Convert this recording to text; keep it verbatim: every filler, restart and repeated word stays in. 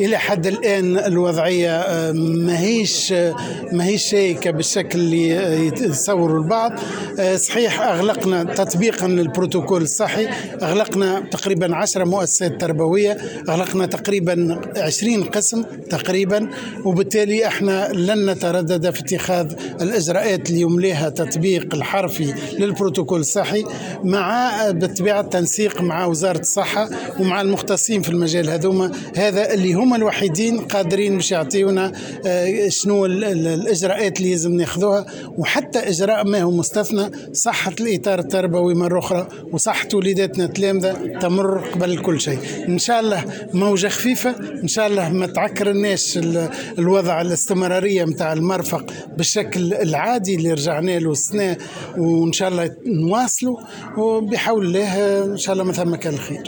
الى حد الان الوضعية آه، ماهيش ماهيش شائكة بالشكل اللي يتصوروا البعض. آه، صحيح اغلقنا تطبيقا للبروتوكول الصحي، اغلقنا تقريبا عشرة مؤسسات تربويه، اغلقنا تقريبا عشرين قسم تقريبا، وبالتالي احنا لن نتردد في اتخاذ الاجراءات اللي يمليها تطبيق الحرفي للبروتوكول الصحي، مع بالطبيعة التنسيق مع وزارة الصحة ومع المختصين في المجال هذوما، هذا اللي هما الوحيدين قادرين باش يعطيونا آه، شنو الاجراءات اللي لازم ناخذوها. وحتى اجراء ما هو مستثنى، صحة الاطار التربوي مرة اخرى وصحة وليداتنا التلامذه تمر قبل كل شيء. ان شاء الله موجه خفيفه، ان شاء الله ما تعكرناش الوضع الاستمرارية نتاع المرفق بالشكل العادي اللي رجعنا له السنه، وان شاء الله نواصلوا، وبحول الله ان شاء الله ما ثم كان الخير.